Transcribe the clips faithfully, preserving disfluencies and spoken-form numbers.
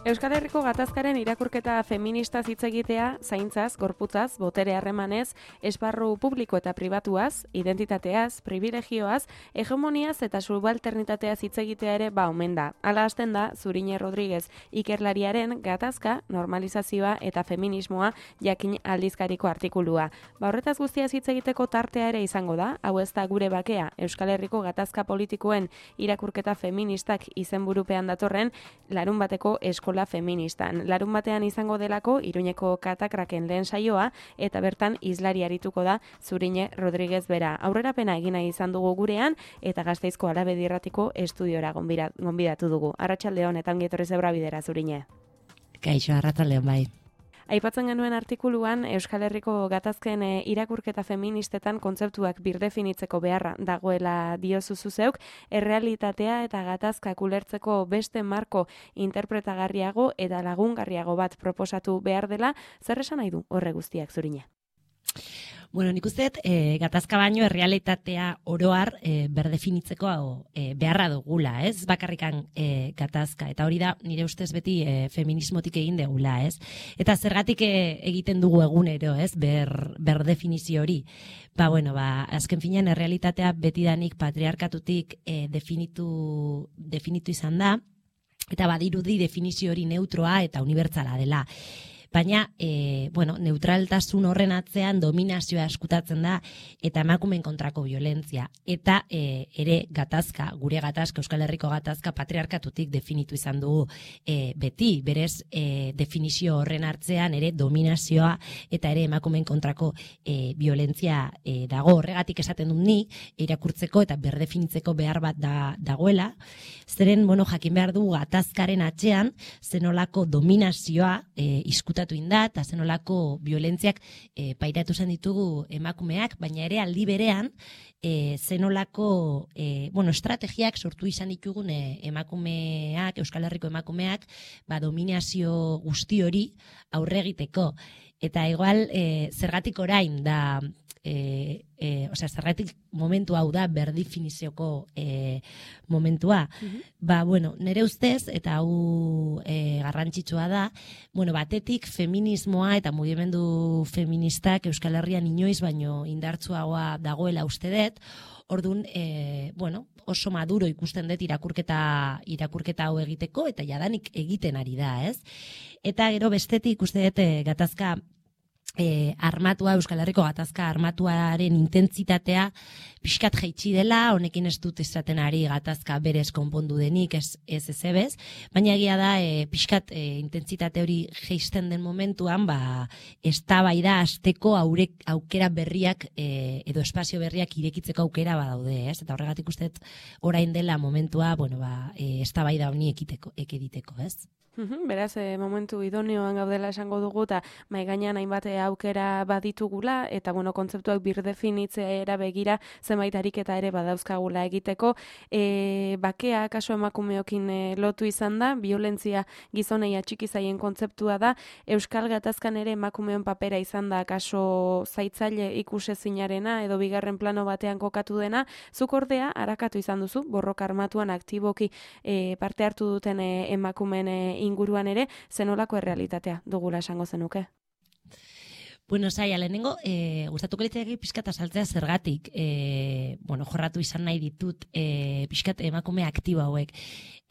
Euskal Herriko gatazkaren irakurketa feministaz hitz egitea, zaintzaz, gorputzaz, botere harremanez, esparru publiko eta pribatuaz, identitateaz, privilegioaz, hegemoniaz eta subalternitateaz hitz egitea ere ba omen da. Hala hasten da Zurine Rodriguez ikerlariaren gatazka, normalizazioa eta feminismoa jakin aldizkariko artikulua. Ba horretaz guztiaz hitz egiteko tartea ere izango da, hau ez da gure bakea, Euskal Herriko gatazka politikoen irakurketa feministak izenburupean datorren larun bateko eskola feministan. Larun batean izango delako Iruñeko katakraken lehen saioa eta bertan hizlari arituko da Zurine Rodriguez bera. Aurrerapena egina izan dugu gurean eta Gasteizko Alabedi Irratiko estudiora gonbidatu dugu. Arratsaldeon eta ongi etorri zeura bidera, Zurine. Kaixo, arratsaldeon bai. Aipatzen genuen artikuluan Euskal Herriko gatazken e, irakurketa feministetan kontzeptuak birdefinitzeko beharra dagoela diozu zuzeuk, errealitatea eta gatazkak ulertzeko beste marko interpretagarriago eta lagungarriago bat proposatu behar dela, zer esan nahi du horre guztiak, Zurine? Bueno, nik uste dut, e, gatazka baino errealitatea oroar e, berdefinitzeko e, beharra dugula, ez? Bakarrikan e, gatazka, eta hori da nire ustez beti e, feminismotik egin degula, ez? Eta zergatik e, egiten dugu egunero, ez? Ber, berdefinizio hori. Ba, bueno, ba, azken finean errealitatea betidanik patriarkatutik e, definitu, definitu izan da, eta badirudi definizio hori neutroa eta unibertsala dela. Baina, e, bueno, neutraltasun horren atzean dominazioa eskutatzen da eta emakumeen kontrako violentzia. Eta e, ere gatazka, gure gatazka, Euskal Herriko gatazka patriarkatutik definitu izan dugu e, beti. Berez, e, definizio horren hartzean ere dominazioa eta ere emakumeen kontrako e, violentzia e, dago. Horregatik esaten dut ni, irakurtzeko eta berdefinitzeko behar bat da, dagoela. Zeren, bueno, jakin behar dugu gatazkaren atzean, zenolako dominazioa e, izkuta inda, eta zenolako violentziak e, pairatu zen ditugu emakumeak, baina ere aldi berean e, zenolako e, bueno, estrategiak sortu izan ditugun e, emakumeak, Euskal Herriko emakumeak, ba, dominazio guzti hori aurre egiteko. Eta igual, e, zergatik orain da, e, e, osea, zergatik momentu hau da berdifinizioko e, momentua. Mm-hmm. Ba, bueno, nire ustez, eta hau e, garrantzitsua da, bueno, batetik feminismoa eta mugimendu feministak Euskal Herrian inoiz baino indartsuagoa dagoela uste dut. Orduan, e, bueno, oso maduro ikusten dut irakurketa, irakurketa hau egiteko, eta jadanik egiten ari da, ez? Eta gero bestetik uste dut e, gatazka E, armatua, Euskal Herriko gatazka armatuaren intentsitatea pixkat jaitsi dela, honekin ez dut esaten ari gatazka berez konpondu denik, ez ez ezebez, baina egia da e, pixkat e, intentsitate hori jaisten den momentuan, ba, eztabaida hasteko aurek aukera berriak e, edo espazio berriak irekitzeko aukera badaude, ez? Eta horregatik uste dut orain dela momentua, bueno, ba, e, eztabaida honi ekiteko, ekiditeko, ez? Beraz, e, momentu idonioan gaudela esango dugu eta mai gainean hainbat aukera baditugula eta bueno, kontzeptuak birdefinitzera begira zenbait ariketa ere badauzkagula egiteko. E, bakea kaso emakumeokin e, lotu izan da, violentzia gizonei atxiki zaien kontzeptua da, Euskal Gatazkan ere emakumeon papera izan da kaso zaitzaile ikusezinarena edo bigarren plano batean kokatu dena, zuk ordea arakatu izan duzu, borroka armatuan aktiboki e, parte hartu duten e, emakumeen e, inguruan ere, zenolako errealitatea dugula esango zenuke? Bueno, zaila, lehenengo, e, gustatuko litzaiake pixkat azaltzea zergatik, e, bueno, jorratu izan nahi ditut e, pixkat emakume aktibo hauek.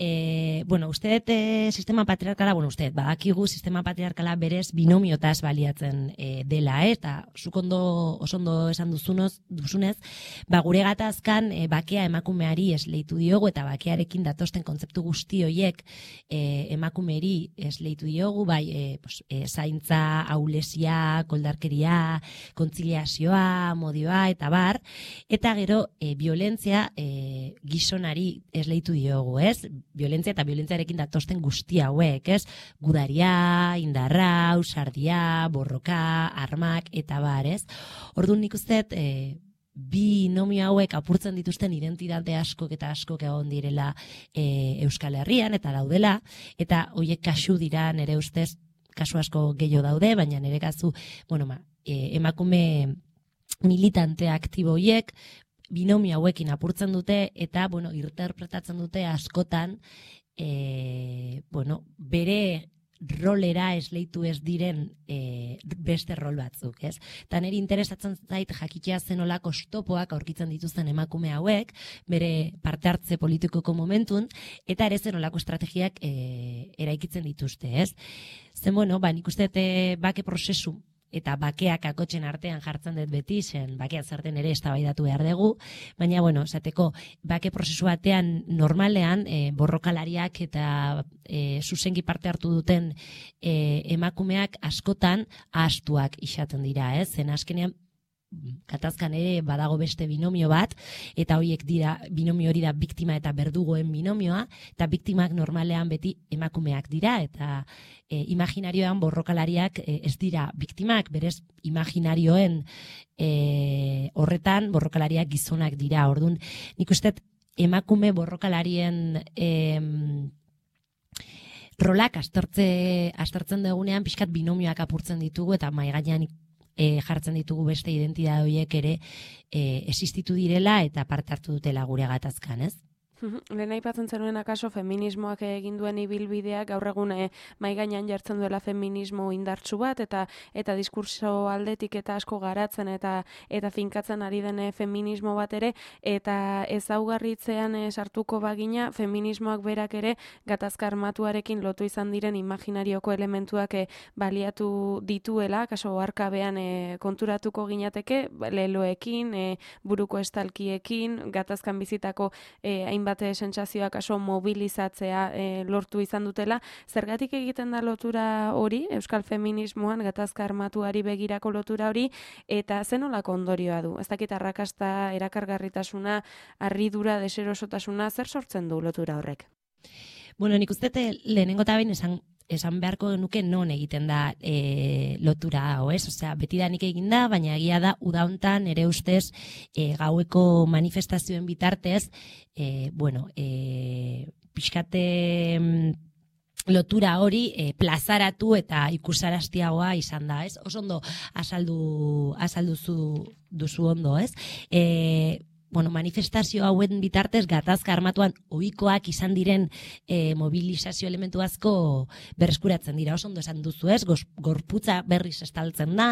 E, bueno, uste dut e, sistema patriarkala, bueno, uste dut, badakigu sistema patriarkala berez binomiotaz baliatzen e, dela, eh? Eta zuk ondo, oso ondo esan duzunoz, duzunez, ba, gure gatazkan e, bakea emakumeari esleitu diogu eta bakearekin datosten kontzeptu guzti horiek e, emakumeri esleitu diogu, bai, e, pues, e, zaintza, aulesia, koldarkeria, kontziliazioa, modioa eta bar, eta gero e, violentzia e, gizonari esleitu diogu, ez? Violentzia eta violentziarekin datosten guzti hauek, ez? Gudaria, indarra, usardia, borroka, armak eta bar, ez? Orduan nik uste dut, e, bi nomio hauek apurtzen dituzten identitate askok eta askok egon direla e, Euskal Herrian eta daudela, eta horiek kasu dira nire ustez kasu asko gehiago daude, baina nire kasu, bueno, ma, e, emakume militante aktibo horiek binomio hauekin apurtzen dute eta, bueno, interpretatzen dute askotan e, bueno, bere rolera esleitu ez diren e, beste rol batzuk, ez? Eta niri interesatzen zait jakitea zenolako oztopoak aurkitzen dituzten emakume hauek, bere parte hartze politikoko momentun, eta ere zenolako estrategiak e, eraikitzen dituzte, ez? Zen, bueno, ba, nik uste e, bake prozesu eta bakeak akotxen artean jartzen dut beti, zen bakeak zerten ere eztabaidatu behar dugu, baina, bueno, esateko, bake prozesu batean normalean e, borrokalariak eta e, zuzenki parte hartu duten e, emakumeak askotan ahaztuak izaten dira, ez? Zen azkenean, gatazkan ere badago beste binomio bat, eta horiek dira, binomio hori da biktima eta berdugoen binomioa, eta biktimak normalean beti emakumeak dira, eta e, imaginarioan borrokalariak e, ez dira biktimak, berez imaginarioen e, horretan borrokalariak gizonak dira. Orduan, nik uste emakume borrokalarien e, rolak aztertze, aztertzen dugunean pixkat binomioak apurtzen ditugu, eta maigainan E, jartzen ditugu beste identitate horiek ere e, existitu direla eta parte hartu dutela gure gatazkan, ez? Lehen aipatzen zenuen akaso feminismoak egin duen ibilbideak gaur egun mahai gainean jartzen duela feminismo indartsu bat eta eta diskurso aldetik eta asko garatzen eta eta finkatzen ari den feminismo bat ere, eta ezaugarritzean sartuko bagina feminismoak berak ere gatazka armatuarekin lotu izan diren imaginarioko elementuak baliatu dituela, kaso oharkabean konturatuko ginateke leloekin, buruko estalkiekin, gatazkan bizitako hainbat bate sentsazioak aso mobilizatzea e, lortu izan dutela. Zergatik egiten da lotura hori, euskal feminismoan gatazka armatuari begirako lotura hori, eta zenolako ondorioa du? Ez dakit arrakasta, erakargarritasuna, harridura, deserosotasuna, zer sortzen du lotura horrek? Bueno, nik uste lehenengo eta behin esan esan beharko genuke non egiten da e, lotura hau, ez? Osea, betidanik egin da, baina egia da uda hontan ere ustez e, gaueko manifestazioen bitartez, e, bueno, e, pixkate lotura hori e, plazaratu eta ikusaraztiagoa izan da, ez? Oso ondo azaldu azalduzu duzu ondo, ez? E, Bueno, manifestazio hauen bitartez gatazka armatuan ohikoak izan diren e, mobilizazio elementu asko berreskuratzen dira. Oso ondo esan duzu, ez? Gorputza berriz estaltzen da,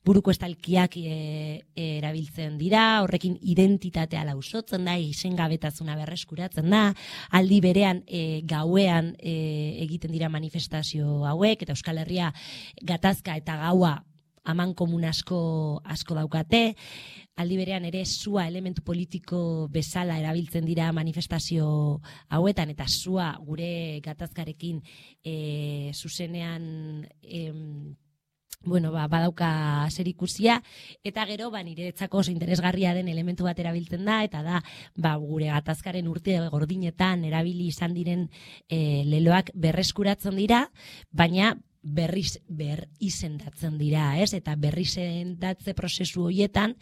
buruko estalkiak e, e, erabiltzen dira, horrekin identitatea lausotzen da, izengabetasuna berreskuratzen da, aldi berean e, gauean e, egiten dira manifestazio hauek, eta Euskal Herria gatazka eta gaua aman komun asko, asko daukate, aldi berean ere sua elementu politiko bezala erabiltzen dira manifestazio hauetan, eta sua gure gatazkarekin e, zuzenean e, bueno, ba, badauka zerikusia, eta gero ba, niretzako oso interesgarria den elementu bat erabiltzen da, eta da ba, gure gatazkaren urte gordinetan erabili izan diren e, leloak berreskuratzen dira, baina berriz ber izendatzen dira, ez? Eta berri izendatze prozesu horietan,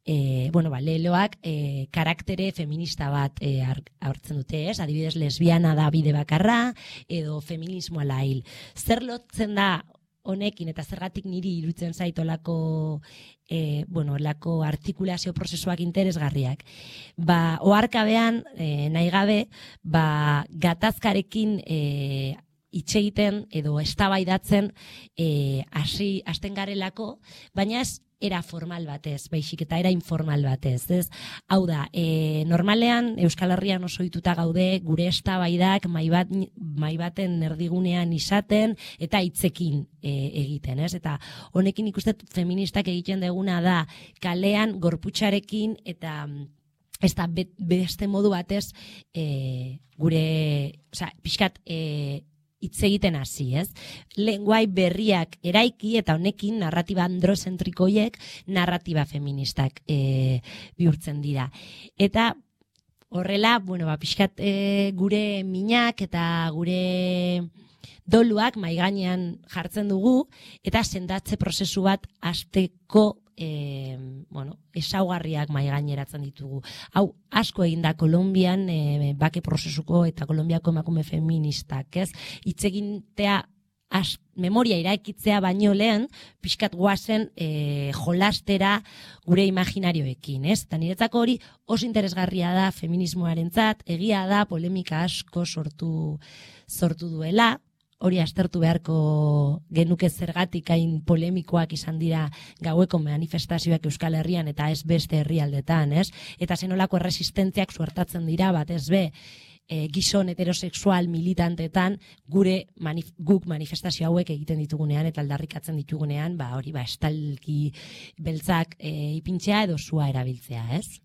e, bueno, ba, leloak e, karaktere feminista bat e, hartzen dute, ez? Adibidez, lesbiana da bide bakarra, edo feminismoa lail. Zer lotzen da honekin, eta zergatik niri irutzen zaitolako e, bueno, lako artikulazio prozesuak interesgarriak. Ba, oharkabean, e, nahi gabe, ba, gatazkarekin e, hitz egiten edo eztabaidatzen eh hasi hasten garelako, baina ez era formal batez, baizik eta era informal batez, ez? Hau da, e, normalean Euskal Herrian oso ohituta gaude gure eztabaidak mai bat mai baten erdigunean izaten eta hitzekin e, egiten, ez? Eta honekin ikuste feministak egiten deguna da kalean gorputzarekin eta ez da beste modu batez e, gure, osea, pixkat e, hitz egiten hasi, ez? Lenguai berriak eraiki eta honekin narratiba androzentrikoiek narratiba feministak e, bihurtzen dira. Eta horrela, bueno, ba, pixkat e, gure minak eta gure doluak mahai gainean jartzen dugu eta sendatze prozesu bat hasteko E, bueno, esaugarriak mahai gaineratzen ditugu. Hau, asko egin da Kolonbian e, bake prozesuko eta Kolonbiako emakume feministak, ez? Hitz egitea as, memoria iraikitzea baino lehen, pixkat guazen e, jolastera gure imaginarioekin, ez? Eta niretzako hori oso interesgarria da feminismoarentzat, egia da polemika asko sortu, sortu duela, hori aztertu beharko genuke zergatik hain polemikoak izan dira gaueko manifestazioak Euskal Herrian eta ez beste herrialdetan, ez? Eta zenolako erresistentziak suertatzen dira, batez be, e, gizon heterosexual militantetan gure manif guk manifestazio hauek egiten ditugunean eta aldarrikatzen ditugunean, ba hori ba estalki beltzak e, ipintzea edo sua erabiltzea, ez?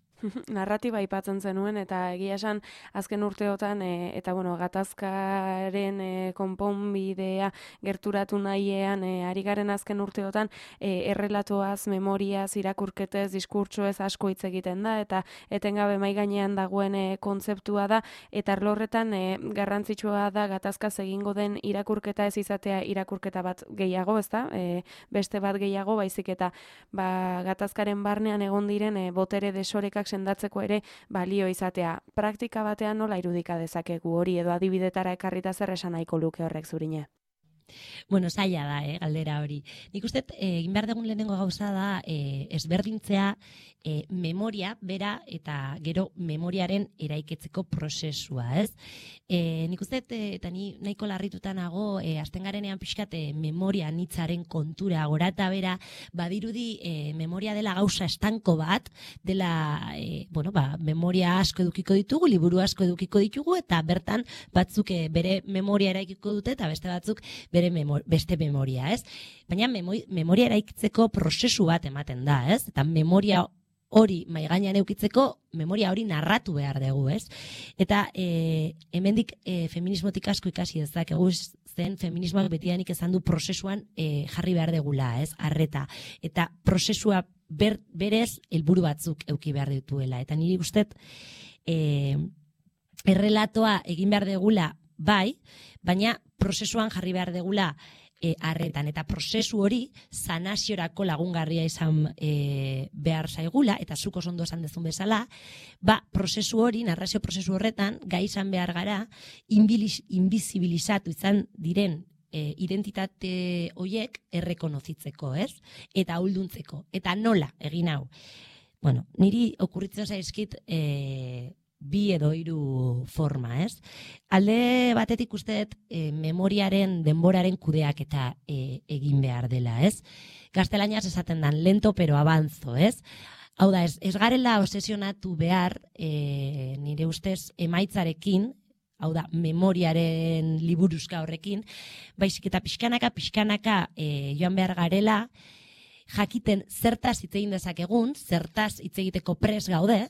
Narratiba aipatzen zenuen eta egia esan azken urteotan e, eta bueno, gatazkaren e, konponbidea gerturatu nahiean e, ari garen azken urteotan e, errelatoaz, memoriaz, irakurketez, diskurtsoez asko hitz egiten da eta etengabe mai gainean dagoen e, kontzeptua da eta arlorretan e, garrantzitsua da gatazkaz egingo den irakurketa ez izatea irakurketa bat gehiago, ezta? E, beste bat gehiago, baizik eta ba, gatazkaren barnean egon diren e, botere desorekak sendatzeko ere balio izatea. Praktika batean nola irudika dezakegu hori edo adibidetara ekarrita zer esan nahiko luke horrek zurine? Bueno, zaila da, eh, galdera hori. Nik uste, egin behar dugun lehenengo gauza da, eh, ezberdintzea eh, memoria, bera, eta gero memoriaren eraiketzeko prozesua, ez? Eh, nik uste, eh, eta ni nahiko larrituta nago, eh, azten garenean pixkat eh, memoria nitzaren kontura, gora eta bera, badirudi eh, memoria dela gauza estanko bat, dela, eh, bueno, ba, memoria asko edukiko ditugu, liburu asko edukiko ditugu, eta bertan batzuk eh, bere memoria eraikiko dute, eta beste batzuk bere memor, beste memoria, ez? Baina memori, memoria eraikitzeko prozesu bat ematen da, ez? Eta memoria hori mai gainean eukitzeko, memoria hori narratu behar dugu, ez? Eta e, hemendik e, feminismotik asko ikasi dezakegu, zen feminismoak betidanik esan du prozesuan e, jarri behar degula, ez? Arreta. Eta prozesua ber, berez helburu batzuk euki behar dituela. Eta niri gustet e, errelatoa egin behar degula bai, baina prozesuan jarri behar degula e, arretan. Eta prozesu hori sanaziorako lagungarria izan e, behar zaigula, eta zuk oso ondo esan dezun bezala, ba, prozesu hori, narrazio prozesu horretan, gai izan behar gara, inbizibilizatu izan diren e, identitate hoiek errekonozitzeko, ez? Eta ahulduntzeko. Eta nola egin hau? Bueno, niri okurritzen zaizkit e, bi edo hiru forma, ez? Alde batetik usteet e, memoriaren, denboraren kudeak eta e, egin behar dela, ez? Gaztelaniaz esaten dan, lento pero avanzo, ez? Hau da, ez, ez garela obsesionatu behar e, nire ustez emaitzarekin, hau da, memoriaren liburuzka horrekin, baizik eta pixkanaka, pixkanaka e, joan behar garela, jakiten zertaz hitz egin dezakegun, zertaz hitz egiteko pres gaude,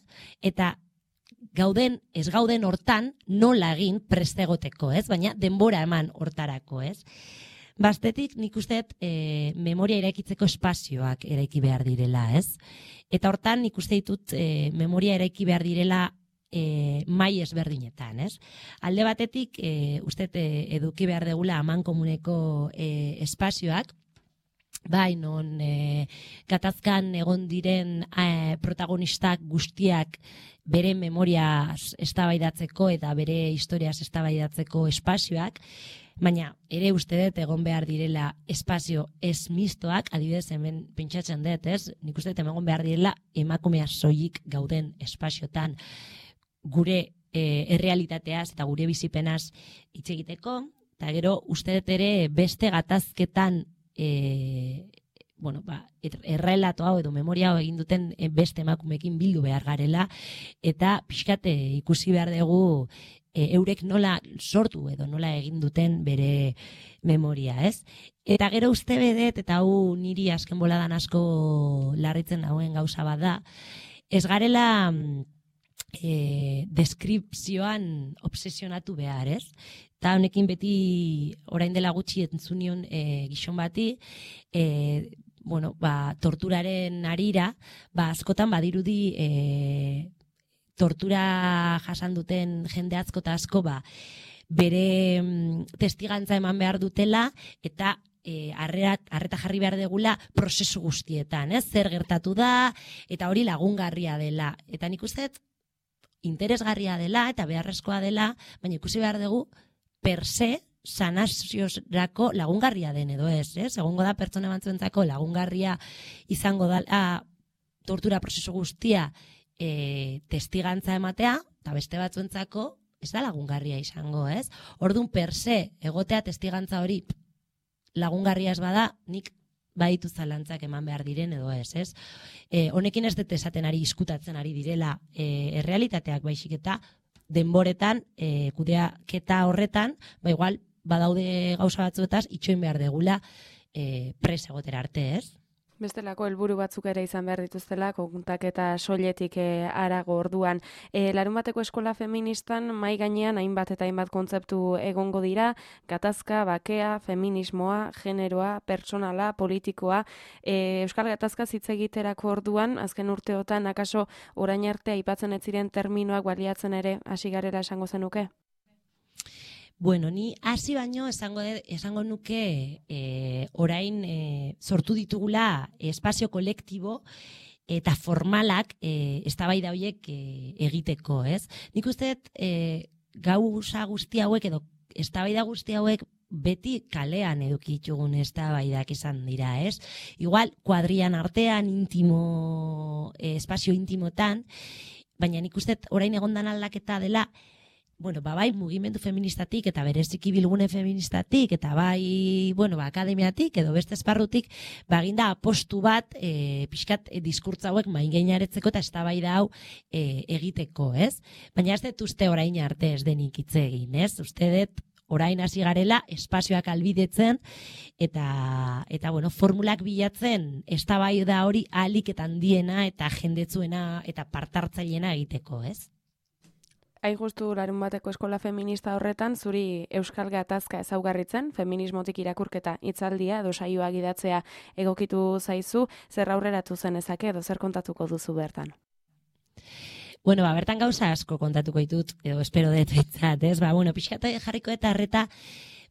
eta gauden, ez gauden hortan nola egin prestegoteko, ez? Baina denbora eman hortarako, ez? Bastetik nik usteet e, memoria eraikitzeko espazioak eraiki behar direla, ez? Eta hortan nik uste ditut e, memoria eraiki behar direla e, mai ezberdinetan, ez? Alde batetik e, usteet e, eduki behar degula aman komuneko e, espazioak, bai, non e, gatazkan egon diren e, protagonistak guztiak bere memoria eztabaidatzeko eta bere historiaz eztabaidatzeko espazioak, baina ere uste dut egon behar direla espazio ez mistoak, adibidez hemen pentsatzen dut, ez? Nik uste dut egon behar direla emakumea soilik gauden espaziotan gure e, errealitateaz eta gure bizipenaz hitz egiteko, eta gero uste dut ere beste gatazketan E, bueno, ba, errelato hau edo memoria hau egin duten beste emakumekin bildu behar garela eta pixkate ikusi behar dugu e, eurek nola sortu edo nola egin duten bere memoria, ez? Eta gero uste bedet, eta hau niri azken boladan asko larritzen hauen gauza bat da, ez garela e, deskripzioan obsesionatu behar, ez? Eta honekin beti orain dela gutxi entzunion e, gizon bati, e, bueno, ba, torturaren harira, ba, askotan badirudi e, tortura jasan duten jende asko eta asko, ba, bere mm, testigantza eman behar dutela, eta e, arret, arreta jarri behar degula prozesu guztietan, ez? Zer gertatu da, eta hori lagungarria dela. Eta nik uste interesgarria dela, eta beharrezkoa dela, baina ikusi behar dugu, per se, sanaziorako lagungarria den edo ez, ez? Egongo da pertsona batzuentzako lagungarria izango da tortura prozesu guztia e, testigantza ematea, eta beste batzuentzako ez da lagungarria izango, ez? Orduan per se, egotea testigantza hori lagungarria ez bada, nik baditu zalantzak eman behar diren edo ez, ez? E, honekin ez dut esaten ari, izkutatzen ari direla e, errealitateak baizik eta denboretan, e, kudeaketa horretan, ba igual, badaude gauza batzuetaz, itxoin behar degula e, pres egotera arte, ez? Bestelako helburu batzuk ere izan behar dituztela, kontaketa soiletik e, arago orduan. E, Larunbateko eskola feministan mai gainean hainbat eta hainbat kontzeptu egongo dira, gatazka, bakea, feminismoa, generoa, pertsonala, politikoa. E, Euskal Gatazka hitz egiterako orduan, azken urteotan, akaso orain arte aipatzen ez ziren terminoak baliatzen ere hasi garela esango zenuke? Bueno, ni hasi baino esango de, esango nuke e, orain e, sortu ditugula espazio kolektibo eta formalak e, eztabaida horiek e, egiteko, ez? Nik uste dut e, gauza guzti hauek edo eztabaida guzti hauek beti kalean edukitugun eztabaidak izan dira, ez? Igual kuadrian artean, intimo, e, espazio intimotan, baina nik uste dut orain egondan aldaketa dela. Bueno, ba, bai, mugimendu feministatik eta bereziki bilgune feministatik eta bai, bueno, ba, akademiatik edo beste esparrutik, ba, eginda apostu bat e, pixkat e, diskurtza hauek maingainaretzeko eta eztabaida hau e, egiteko, ez? Baina ez dut uste orain arte ez denik hitz egin, ez? Uste dut orain hasi garela espazioak albidetzen eta, eta bueno, formulak bilatzen eztabaida hori ahalik eta handiena eta jendetzuena eta partartzaileena egiteko, ez? Hain justu Larunbateko eskola feminista horretan, zuri Euskal Gatazka ezaugarritzen, feminismotik irakurketa hitzaldia edo saioa gidatzea egokitu zaizu, zer aurreratu zen ezake edo zer kontatuko duzu bertan? Bueno, ba, bertan gauza asko kontatuko ditut, edo espero dut betzat, ez? Ba, bueno, pixkatu jarriko eta arreta,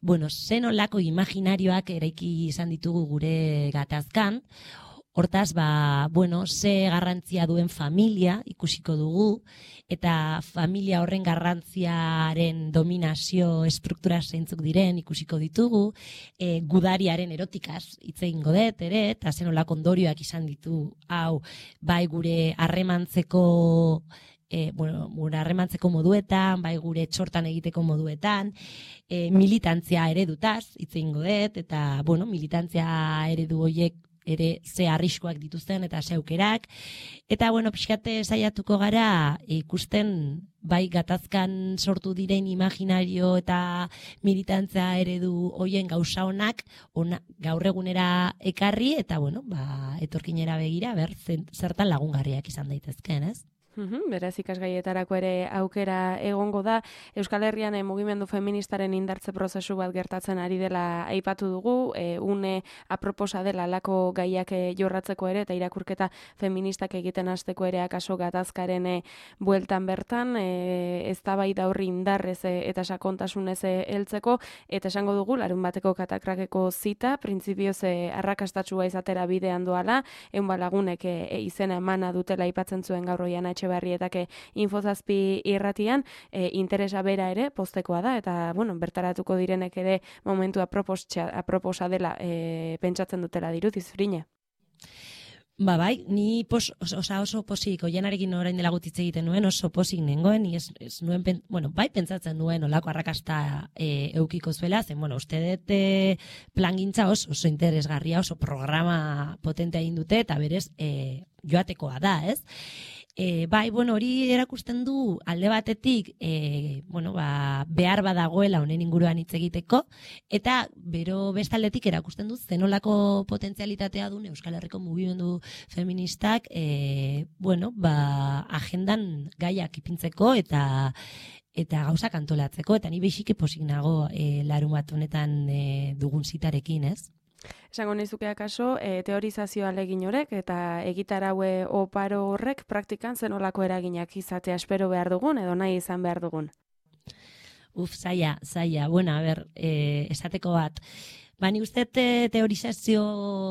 bueno, zen olako imaginarioak eraiki izan ditugu gure gatazkan. Hortaz, ba, bueno, ze garrantzia duen familia ikusiko dugu, eta familia horren garrantziaren dominazio estruktura zeintzuk diren ikusiko ditugu, e, gudariaren erotikaz hitz egingo dut ere, eta zen olako ondorioak izan ditu, hau, bai gure harremantzeko E, bueno, gure harremantzeko moduetan, bai gure txortan egiteko moduetan, e, militantzia eredutaz hitz egingo dut, eta, bueno, militantzia eredu horiek ere ze arriskoak dituzten eta ze aukerak. Eta, bueno, pixkate saiatuko gara ikusten bai gatazkan sortu diren imaginario eta militantzia eredu hoien gauza honak ona, gaur egunera ekarri eta, bueno, ba, etorkinera begira, ber, zertan lagungarriak izan daitezkeen, ez? Uhum, beraz ikasgaietarako ere aukera egongo da. Euskal Herrian e, mugimendu feministaren indartze prozesu bat gertatzen ari dela aipatu dugu, e, une aproposa dela alako gaiak e, jorratzeko ere eta irakurketa feministak egiten hasteko ere akaso gatazkaren e, bueltan bertan, e, eztabaida horri indarrez e, eta sakontasunez e, heltzeko, eta esango dugu Larunbateko katakrakeko zita, printzipioz e, arrakastatsua izatera bidean doala, eun balagunek e, e, izena emana dutela aipatzen zuen gaur Oiana Etxebarrietake infozazpi irratian, e, interesa bera ere postekoa da, eta bueno, bertaratuko direnek ere momentu aproposa, aproposa dela e, pentsatzen dutela dirudi zurine. Ba bai, ni pos, oso, oso posik, Oianarekin orain dela gutitze egiten nuen, oso posik nengoen, ni ez, ez nuen, pen, bueno, bai pentsatzen nuen olako arrakasta e, eukiko zuela, zen, bueno, uste dut e, plangintza oso, oso interesgarria, oso programa potentea egin dute, eta berez e, joatekoa da, ez? E, bai, bueno, hori erakusten du alde batetik e, bueno, ba, behar badagoela honen inguruan hitz egiteko, eta bero bestaldetik erakusten du zenolako potentzialitatea duen Euskal Herriko mugimendu feministak e, bueno, ba, agendan gaiak ipintzeko eta eta gauzak antolatzeko, eta ni beixike posik nago e, Larunbat honetan e, dugun zitarekin, ez? Esango nizuke akaso, e, teorizazioa alegin horrek eta egitaraue oparo horrek praktikan zenolako eraginak izatea espero behar dugun edo nahi izan behar dugun? Uf, zaila, zaila. Bueno, a ber, e, esateko bat. Ba, ni uste te, teorizazio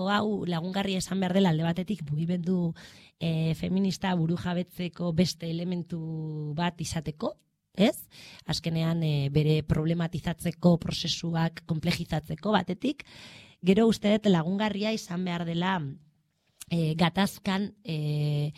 hau lagungarri esan behar dela alde batetik mugimendu e, feminista buru jabetzeko beste elementu bat izateko, ez? Azkenean e, bere problematizatzeko prozesuak komplejizatzeko batetik, gero uste dut lagungarria izan behar dela e, gatazkan e,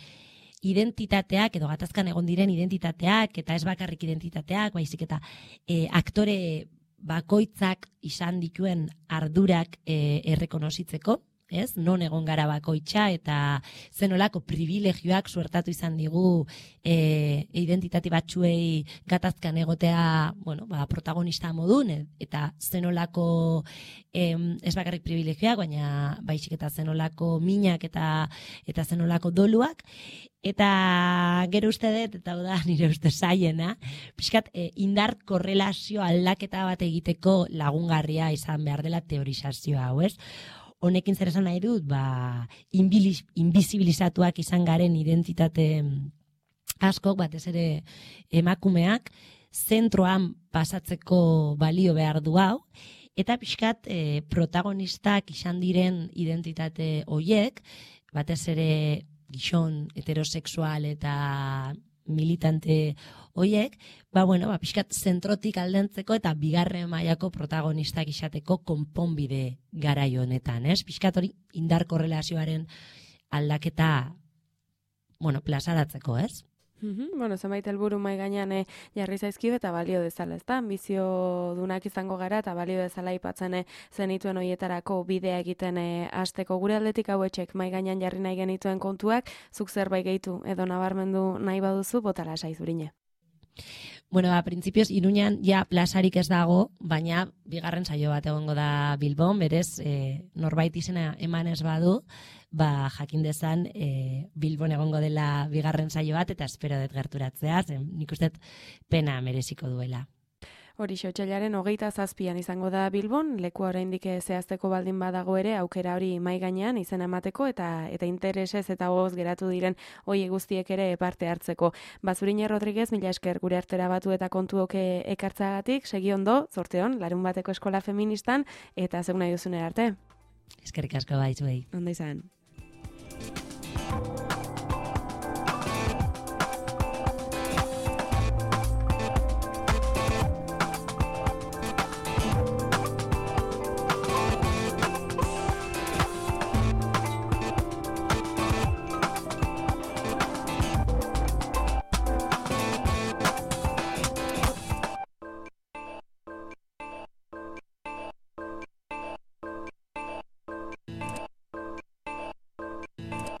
identitateak, edo gatazkan egon diren identitateak, eta ez bakarrik identitateak, baizik eta e, aktore bakoitzak izan dituen ardurak e, errekonozitzeko, ez? Non egon gara bakoitza eta zenolako privilegioak suertatu izan digu e, identitate batzuei gatazkan egotea, bueno, ba, protagonista modun, eta zenolako em, ez bakarrik privilegioak, baina baizik eta zenolako minak eta eta zenolako doluak, eta gero uste dut, eta da nire uste zaiena, pixkat e, indar korrelazio aldaketa bat egiteko lagungarria izan behar dela teorizazio hau, ez? Honekin zer esan nahi dut, ba, inbizibilizatuak izan garen identitate askok, batez ere emakumeak, zentroan pasatzeko balio behar du hau, eta pixkat e, protagonistak izan diren identitate hoiek, batez ere gizon heterosexual eta militante hoiek, ba, bueno, ba, pixkat zentrotik aldentzeko eta bigarren mailako protagonistak izateko konponbide garai honetan, ez? Pixkat hori indar korrelazioaren aldaketa, bueno, plazaratzeko, ez? Mm-hmm. Bueno, zenbait helburu mai gainean eh, jarri zaizkio eta balio dezala, ezta? Ambizio dunak izango gara eta balio dezala aipatzen eh, zenituen hoietarako bidea egiten eh, hasteko gure aldetik hauetxek mai gainean jarri nahi genituen kontuak, zuk zerbait gehitu edo nabarmendu nahi baduzu, botala saizurine. Bueno, a principios Iruñan ja plazarik ez dago, baina bigarren saio bat egongo da Bilbon, berez e, norbait izena eman ez badu, ba jakin dezan e, Bilbon egongo dela bigarren saio bat, eta espero dut gerturatzea, zen nik uste pena mereziko duela. Hori otsailaren hogeita zazpian izango da Bilbon, lekua oraindik zehazteko baldin badago ere aukera hori mai gainean izena emateko eta eta interesez eta gogoz geratu diren hoi guztiek ere parte hartzeko. Bazurine Rodriguez, mila esker gure artera batu eta kontuoke ekartzagatik, segi ondo, zorteon, larun bateko eskola feministan eta zeun nahi duzunera arte. Eskerrik asko baizuei. Ondo izan.